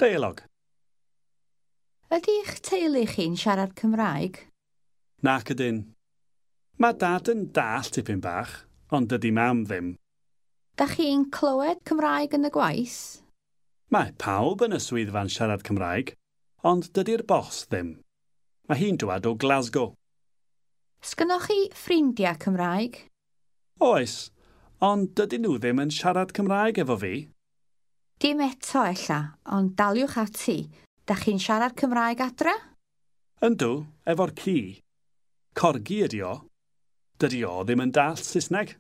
Deialog. Ydy'ch teulu chi'n siarad Cymraeg? Nac ydyn. Mae Dad yn dallt tipyn bach, ond dydy Mam ddim. Da chi'n clywed Cymraeg yn y gwaith? Mae pawb yn y swyddfa'n siarad Cymraeg, ond dydy'r bos ddim. Mae hi'n dwad o Glasgow. Sgynnoch chi ffrindiau Cymraeg? Oes, ond dydyn nhw ddim yn siarad Cymraeg efo fi. Dim eto ella, ond daliwch ati. Da chi'n siarad Cymraeg adra? Yndw, efo'r ci. Corgi ydi o. Dydi o ddim yn dallt Saesneg.